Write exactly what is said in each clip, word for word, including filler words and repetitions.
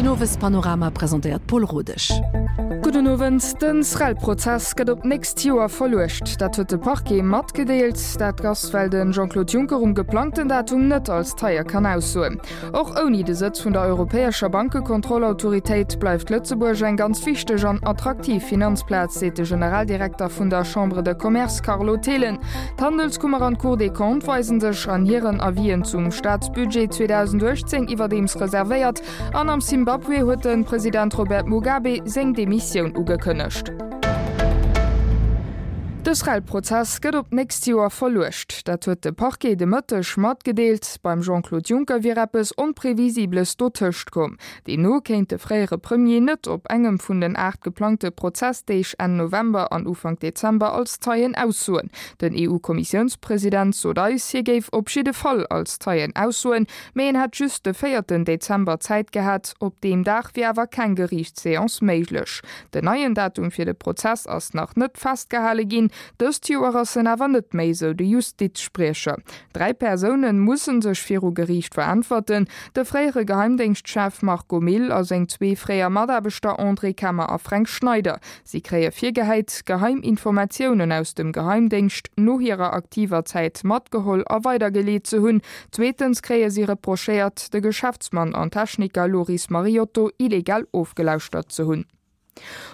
Den Owespanorama presentéiert d'Paule Rodesch. Gudden Owend. Den SREL-Prozess gëtt op d'nächst Joer verluecht. Dat huet de Parquet matgedeelt. Dat ass, well den Jean-Claude Juncker um geplangten Datum net als Zeie kann aussoen. Och ouni de Sëtz vun der europäescher Bankekontrollautoritéit bleift Lëtzebuerg eng ganz wichteg an attraktiv Finanzplaz, seet de Generaldirekter vun der Chambre de Commerce Carlo Thelen. D'Handelskummer an d'Cour des Comptes weisen sech an hiren Avisen zum Staatsbudget zweedausenduechtzéng iwwerdeems reservéiert an am Simbabwe huet de President Robert Mugabe seng Demissioun ugekënnegt. De SREL-Prozess gëtt op d'nächst Joer verluecht. Dat huet de Parquet de Mëtteg matgedeelt. Beim Jean-Claude Juncker wier eppes Onprevisibles dotëscht komm. Deemno kéint de fréiere Premier net op engem vun den aacht geplangte Prozessdeeg Enn November an Ufank Dezember als Zeien aussoen. Den E U-Kommissiounspresident sot eis, hie géif op jidde Fall als Zeien aussoen, mee en hätt just de véierten Dezember Zäit gehat. Op deem Dag wier awer keng Geriichtsseance méiglech. Den neien Datum fir de Prozess ass nach net festgehale ginn. Dëst Joer ass en awer net méi, sou de Justizspriecher. Dräi Persoune musse sech viru Geriicht veräntwerten, de fréiere Geheimdéngschtchef Marco Mille a seng zwee fréier Mataarbechter André Kemmer a Fränk Schneider. Si kréie virgehäit, geheim Informatiounen aus dem Geheimdéngscht no hirer aktiver Zäit matgeholl a weidergeleet ze hunn. Zweetens kréie si reprochéiert, de Geschäftsmann an Techniker Loris Mariotto illegal ofgelauschtert ze hunn.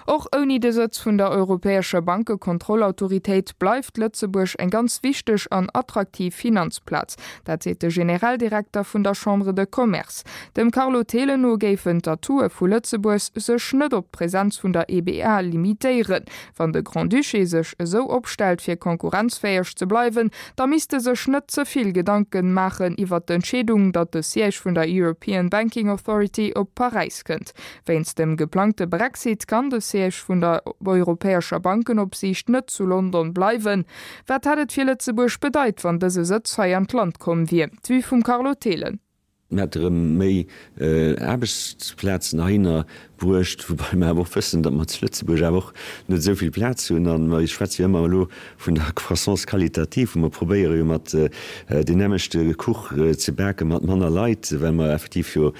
Och ouni de Sëtz vun der europäescher Bankekontrollautoritéit bleift Lëtzebuerg eng ganz wichteg an attraktiv Finanzplaz. Dat seet de Generaldirekter vun der Chambre de Commerce. Dem Carlo Thelen no géifen d'Atoue vu Lëtzebuerg sech net op d'Presenz vun der E B A limitéieren. Wann de Grand-Duché sech esou opstellt fir konkurrenzfäeg ze bleiwen, da misst e sech net ze vill Gedanken maachen iwwer d'Entscheedung, datt de Siège vun der European Banking Authority op Paräis kënnt. Wéinst dem geplangte Brexit kann de Siège vun der europäescher Bankenopsiicht net zu London bleiwen. Wat hätt et fir Lëtzebuerg bedeit, wann dëse Sëtz hei an d'Land komm wier? D'Vue vum Carlo Thelen. Mir hätte rëm méi Aarbechtsplazen heihinner bruecht, woubäi mer awer och wëssen, datt mer zu Lëtzebuerg awer och net esou vill Plaz hunn. A mer schwätze jo ëmmer elo vun der Croissance qualitative, wou mer probéiere jo mat deen nämmlechte Kuch ze bake mat manner Leit, well mer effektiv jo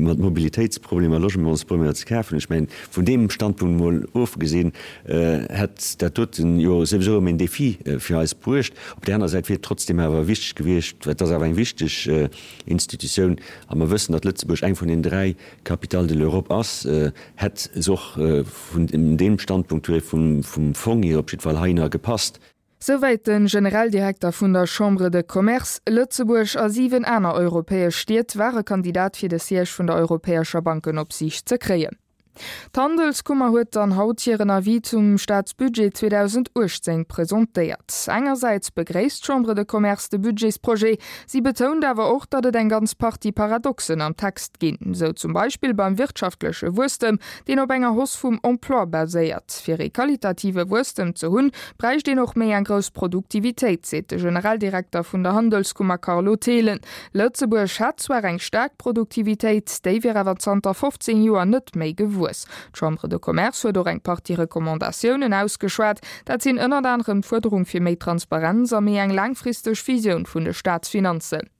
mat Mobilitéitsproblemer, Logementsproblemer ze kafen hunn. Ech mengen, vun deem Standpunkt emol ofgesinn, hätt dat doten jo souwisou erëm een Défi fir eis bruecht. Op där aner Säit wier et trotzdem awer wichteg gewiescht, well et ass awer eng wichteg Institutioun, a mer wëssen, datt Lëtzebuerg eng vun den dräi Capitales de l'Europe ass, hätt se och vun deem Standpunkt hier vum Fong hier op jiddwer Fall heihinner gepasst. Souwäit de Generaldirekter vun der Chambre de Commerce. Lëtzebuerg a siwen aner europäesch Stied ware Kandidat fir de Siège vun der europäescher Bankenopsiicht ze kréien. D'Handelskummer huet dann haut hiren Avis zum Staatsbudget zweedausenduechtzéng presentéiert. Engersäits begréisst d'Chambre de Commerce de Budgetsprojet, si betount awer och, datt et eng ganz Partie Paradoxen am Text ginn, sou zum Beispill beim wirtschaftleche Wuesstem, deen op enger Hausse vum Emploi baséiert. Fir ee qualitative Wuesstem ze hunn, bräicht een och méi eng grouss Produktivitéit, seet de Generaldirekter vun der Handelskummer Carlo Thelen. Lëtzebuerg hätt zwar eng staark Produktivitéit, déi wier awer zanter fofzéng Joer net méi gewuess. D'Chambre de Commerce huet och eng Partie Recommandatiounen ausgeschwat. Dat sinn ënnert anerem d'Fuerderung fir méi Transparenz a méi eng laangfristeg Visioun vun de Staatsfinanzen.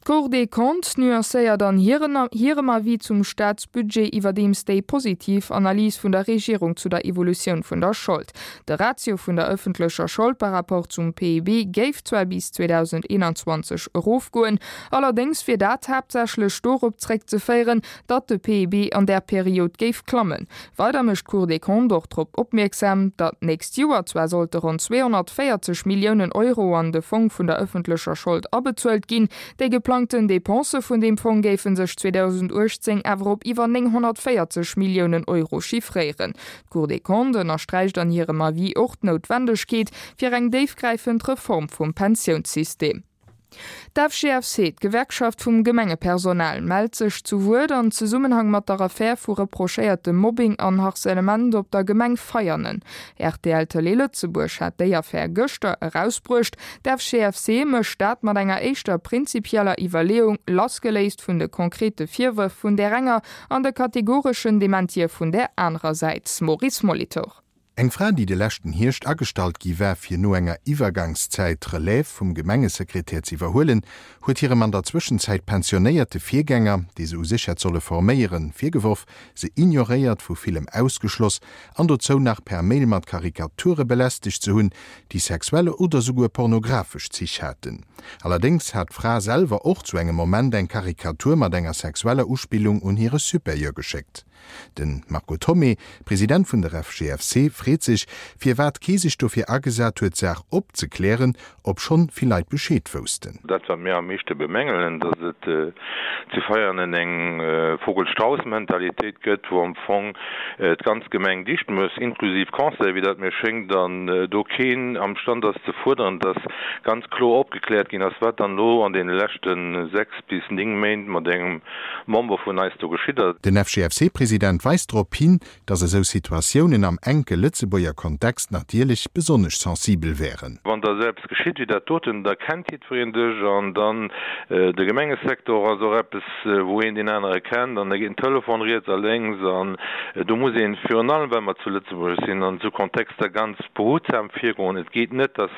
D'Cour des Comptes nuancéiert an hirem Avis zum Staatsbudget iwwerdeems déi positiv Analys vun der Regierung zu der Evolutioun vun der Schold. De Ratio vun der ëffentlecher Schold par rapport zum P I B géif zwar bis zweedausendeenanzwanzeg erofgoen, allerdéngs wier dat haaptsächlech dorop zréckzeféieren, datt de P I B an där Period géif klammen. Weider mécht d'Cour des Comptes och drop opmierksam, datt d'nächst Joer zwar sollte ronn zweehonnertvéierzeg Milliounen Euro an de Fong vun der ëffentlecher Schold abezuelt ginn, déi geplangten Depensë vun deem Fong géife sech zweedausenduechtzéng awer op iwwer nénghonnertvéierzeg Milliounen Euro chiffréieren. D'Cour des Comptes ënnersträicht an hirem Avis och d'Noutwendegkeet fir eng déifgräifend Reform vum Pensiounssystem. D'F G F C, d'Gewerkschaft vum Gemengepersonal, mellt sech zu Wuert an Zesummenhang mat der Affär vu reprochéiertem Mobbing an Harcèlement op der Gemeng Veianen. R T L Tëlee Lëtzebuerg hat déi Affär gëschter erausbruecht. D'F G F C mécht dat mat enger éischter prinzipieller Iwwerleeung, lassgeléist vun de konkrete Virwërf vun där enger an de kategoreschen Dementië vun där anerer Säit. Maurice Molitor. Eng Fra, déi de leschten Hierscht agestallt gi war, fir no enger Iwwergangszäit d'Relève vum Gemengesekretär ze iwwerhuelen, huet hirem an der Zwëschenzäit pensionéierte Virgänger, dee se u sech hätt solle forméieren, virgeworf, se ignoréiert, vu villem ausgeschloss an dozou nach per Mail mat Karikature belästegt ze hunn, déi sexuell oder souguer pornografesch Zich haten. Allerdéngs hat d'Fra selwer och zu engem Moment eng Karikatur mat enger sexueller Uspillung un hire Supérieur geschéckt. De Marco Thomé, President vun der FGFC, freet sech, firwat kee sech dofir agesat huet, d'Saach opzeklären, obschonn vill Leit Bescheed woussten. Dat, wat mir am meeschte bemängelen, datt et zu Veianen eng Vogel-Strauß-Mentalitéit gëtt, wou am Fong d'ganz Gemeng dicht muss, inklusiv Conseil, wéi dat mir schéngt, an do keen am Stand ass ze fuerderen, datt ganz kloer opgekläert ginn ass, wat dann elo an deene leschte sechs bis néng Méint mat engem Member vun eis do geschitt ass. Den FGFC-President weist drop hin, datt esou Situatiounen am enke Lëtzebuerger Kontext natierlech besonnesch sensibel wären. Wann da esou eppes geschitt wéi dat doten, da kennt jiddwereen dech an dann de Gemengesecteur ass och eppes, wou een deen anere kennt an da geet den Telefon riets a lénks an do muss een, virun allem well mer zu Lëtzebuerg sinn, an esou Kontexter ganz behutsam virgoen. Et geet net, datt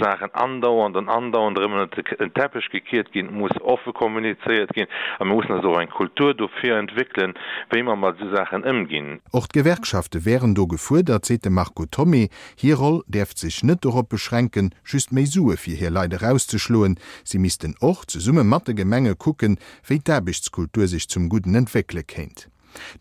Saachen andauernd an andauernd erëm ënnert den Teppech gekiert ginn. Et muss offe kommunizéiert ginn a mir mussen eis och eng Kultur dofir entwéckelen, wéi mer mat esou Saachen ëmginn. Och d'Gewerkschafte wären do gefuerdert, seet de Marco Thomé. Hir Roll däerft sech net dorop beschränken, just méi Sue fir hir Leit erauszeschloen. Si missten och zesumme mat de Gemenge kucken, wéi d'Aarbechtskultur sech zum Gudden entwéckele kéint.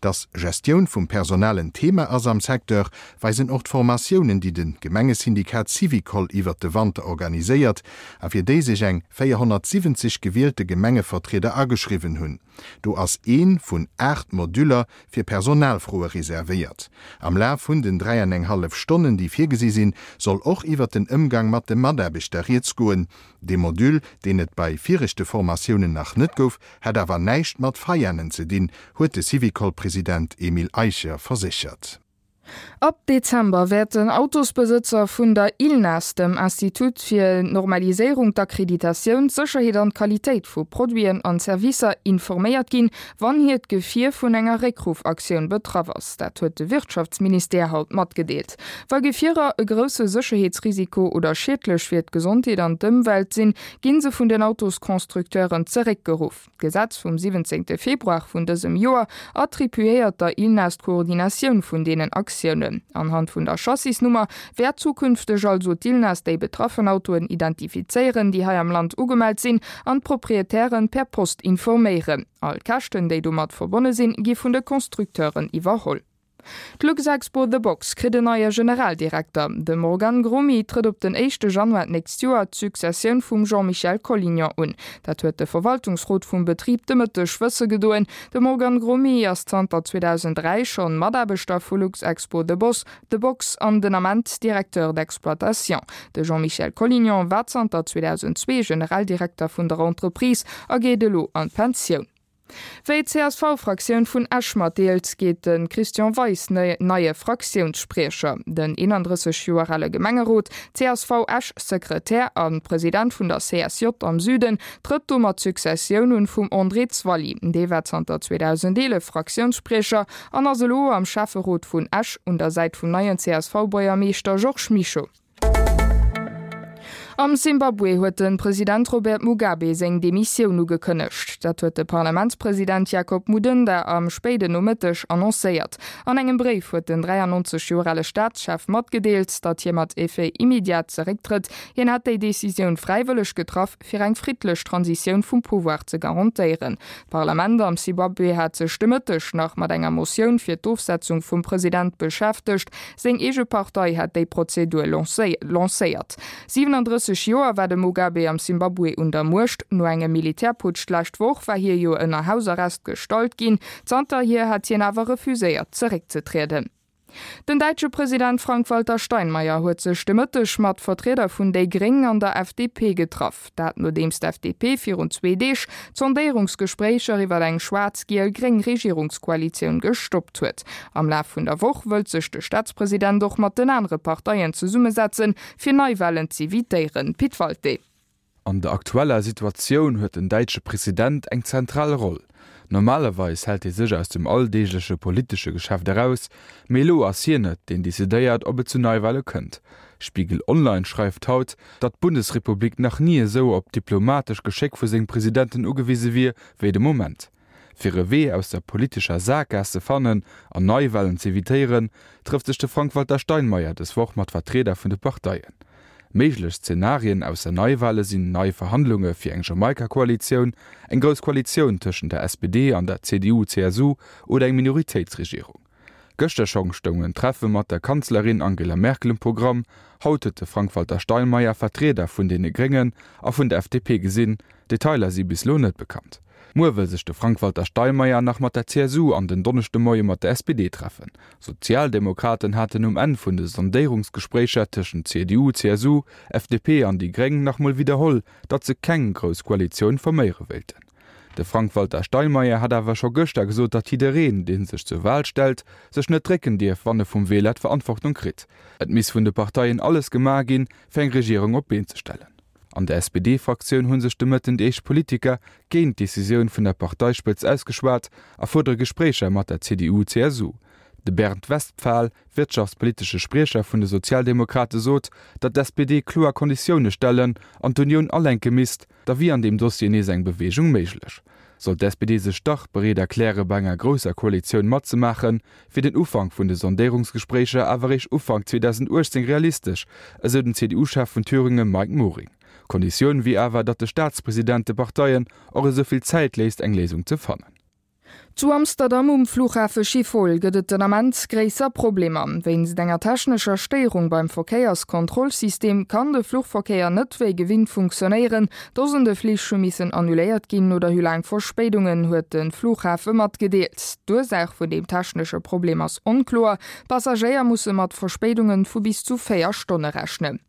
Dass Gestioun vum Personal en Thema ass am Secteur, weisen och d'Formatiounen, déi de Gemengesyndikat Syvicol iwwert de Wanter organiséiert a fir déi sech eng véierhonnertsiwwenzeg gewielte Gemengevertrieder ageschriwwen hunn. Do ass ee vun aacht Modüller fir Personalfroe reservéiert. Am Laf vun den dräi an eng hallef Stonnen, déi virgesi sinn, soll och iwwert den Ëmgang mat de Mataarbechter rieds goen. Dee Module, deen et bei viregte Formatiounen nach net gouf, hätt awer näischt mat Veianen ze dinn, huet de Syvicol-President Emile Eicher verséchert. Ab Dezember wäerten Autosbesëtzer vun der ILNAS, dem Institut fir d'Normaliséierung, d'Akkreditatioun, d'Sécherheet an d'Qualitéit vu Produiten an Servicer, informéiert ginn, wann hiert Gefier vun enger Réckruffaktioun betraff ass. Dat huet de Wirtschaftsministère haut matgedeelt. Wa Gefierer e grousse Sécherheetsrisiko oder schiedlech fir d'Gesondheet an d'Ëmwelt sinn, gi se vun den Autosconstructeuren zeréckgeruff. D'Gesetz vum siwwenzéngte Februar vun dësem Joer attribuéiert der ILNAS d'Koordinatioun vun deenen Aktiounen. Anhand vun der Chassisnummer wäert zukünfteg also d'ILNAS déi betraffen Autoen identifizéieren, déi hei am Land ugemellt sinn, an d'Proprietären per Post informéieren. All Käschten, déi domat verbonne sinn, gi vun de Constructeuren iwwerholl. D'Luxexpo The Box kritt en neie Generaldirekter. De Morgan Gromy trëtt op den éischte Januar d'nächst Joer d'Successioun vum Jean-Michel Collignon un. Dat huet de Verwaltungsrot vum Betrib de Mëtteg wësse gedoen. De Morgan Gromy ass zanter zweedausend dräi schonn Mataarbechter vu Luxexpo The Boss, The Box an den Ament Directeur d'exploitation. De Jean-Michel Collignon war zanter zweedausend zwee Generaldirekter vun der Entreprise a geet elo an d'Pensioun. Wéi d'CSV-Fraktioun vun Esch matdeelt, geet de Christian Weis neie Fraktiounsspriecher. Den eenandrësseg Joer ale Gemengerot, C S V Esch-Sekretär a President vun der C S J am Süden, trëtt domat d'Successioun un vum André Zwally. Dee war zanter zweedausendeelef Fraktiounsspriecher an ass elo am Schäfferot vun Esch un der Säit vum neien C S V-Buergermeeschter Georges Mischo. Am Simbabwe huet de President Robert Mugabe seng Demissioun ugekënnegt. Dat huet de Parlamentspresident Jacob Mudenda am spéiden Nomëtteg annoncéiert. An engem Bréif huet den dräiannonzeg Joer ale Staatschef matgedeelt, datt hie mat Effet immédiat zerécktrëtt. Hien hätt déi Decisioun fräiwëlleg getraff, fir eng friddlech Transitioun vum Pouvoir ze garantéieren. D'Parlament am Simbabwe hat sech de Mëtteg nach mat enger Motioun fir d'Ofsetzung vum President beschäftegt. Seng eege Partei hat déi Prozedur lancéiert. siewenandrësseg Joer war de Mugabe am Simbabwe un der Muecht. No engem Militärputsch d'lescht Woch war hie jo ënner Hausarrest gestallt ginn. Zanterhier hat hien awer refuséiert zeréckzetrieden. Den däitsche President Frank-Walter Steinmeier huet sech de Mëtteg mat Vertrieder vun déi Gréng an der F D P getraff. Dat nodeems d'F D P virun zwee Deeg d'Sondéierungsgespréicher iwwer eng schwaarz-giel-gréng Regierungskoalitioun gestoppt huet. Am Laf vun der Woch wëllt sech de Staatspresident och mat den anere Parteien zesummesetzen, fir Neiwalen z'evitéieren. Pit Walté. An der aktueller Situatioun huet den däitsche President eng zentral Roll. Normalerweis hält hie sech aus dem alldeegleche politesche Geschäft eraus, mee elo ass hien et, deen decidéiert, ob et zu Neiwale kënnt. Spiegel Online schreift haut, datt d'Bundesrepublik nach ni esou op d'diplomatesch Geschéck vu sengem Presidenten ugewise wier, wéi de Moment. Fir e Wee aus der politescher Sakgaass ze fannen an Neiwalen z'evitéieren, trëfft sech de Frank-Walter Steinmeier dës Woch mat Vertrieder vun de Parteien. Méiglech Zenarien ausser Neiwale sinn nei Verhandlunge fir eng Jamaika-Koalitioun, eng grouss Koalitioun tëschent der S P D an der C D U-C S U oder eng Minoritéitsregierung. Gëschter schonn stoung en Treffe mat der Kanzlerin Angela Merkel um Programm, haut huet de Frank-Walter Steinmeier Vertrieder vun deene Gréngen a vun der F D P gesinn, Detailer si bis elo net bekannt. Muer wëll sech de Frank-Walter Steinmeier nach mat der C S U an den Donneschdemoie mat der S P D treffen. Sozialdemokraten haten um Enn vun de Sondéierungsgespréicher tëschent C D U, C S U, F D P an déi Gréng nach mol widderholl, datt se keng grouss Koalitioun forméiere wéilten. De Frank-Walter Steinmeier hat awer scho gëschter gesot, datt jiddereen, dee sech zur Wal stellt, sech net drécken dierf, wann e vum Wieler d'Verantwortung kritt. Et misst vun de Parteien alles gemaach ginn, fir eng Regierung op d'Been ze stellen. An der S P D-Fraktioun hu sech de Mëtten déi éischt Politiker géint d'Decisioun vun der Parteispëtzt ausgeschwat a fuerdere Gespréicher mat der C D U-C S U. De Bernd Westphal, wirtschaftspolitesche Spriecher vun de Sozialdemokrate sot, datt d'S P D kloer Konditioune stellen an d'Unioun alenke misst, da wier an deem Dossier nees eng Beweegung méiglech. Sollt d'S P D sech dach bereet erkläre bei enger grousser Koalitioun matzemaachen, wier den Ufank vun de Sondéierungsgespréicher awer eréischt Ufank zweedausendauechtzéng realistesch, esou den C D U-Chef vun Thüringe Mike Mohring. Konditioun wier awer, datt de Staatspresident de Parteien och esou vill Zäit léisst, eng Léisung ze fannen. Zu Amsterdam um Flughafe Schiphol gëtt et den Ament gréisser Problemer. Wéinst enger technescher Stéierung beim Verkéierskontrollsystem kann de Fluchverkéier net wéi gewinnt funktionéieren. Dosende Flich hu missen annuléiert ginn oder hu laang Verspéidungen, huet de Flughafe matgedeelt. D'Ursaach vun deem technesche Problem ass onkloer. Passagéier musse mat Verspéidunge vu bis zu véier Stonne rechnen.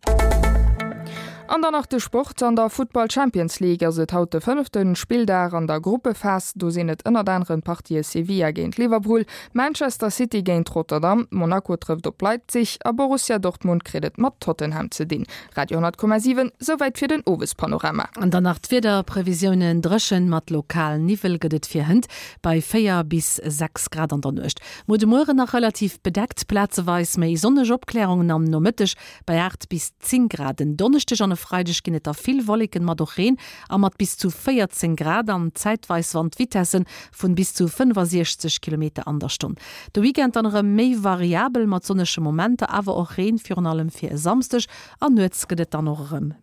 An dann nach de Sport. An der Futtball Champions League ass et haut de fënnefte Spilldag an der Gruppephas. Do sinn et ënnert aneren d'Partië Sevilla géint Liverpool, Manchester City géint Rotterdam, Monaco trëfft op Leipzig a Borussia Dortmund kritt et mat Tottenham ze dinn. Radio honnert Komma siwen, souwäit fir den Owespanorama. An dann nach d'Wiederprevisiounen. Dréchen mat lokal Niwwel gëtt et fir hënt bei véier bis sechs Grad an der Nuecht. Muer de Mueren nach relativ bedeckt, plazeweis méi sonneg Opklärungen am Nomëtteg bei aacht bis zéng Grad. Den Donneschdeg an e Freideg ginn et da vill Wolleken mat och Reen a mat bis zu véierzéng Grad an zäitweis Wandvitessen vun bis zu fënnefasiechzeg Kilometer an der Stonn. De Weekend dann erëm méi variabel mat sonnege Momenter, awer och Reen, virun allem fir e Samschdeg an nuets gëtt et dann och erëm méi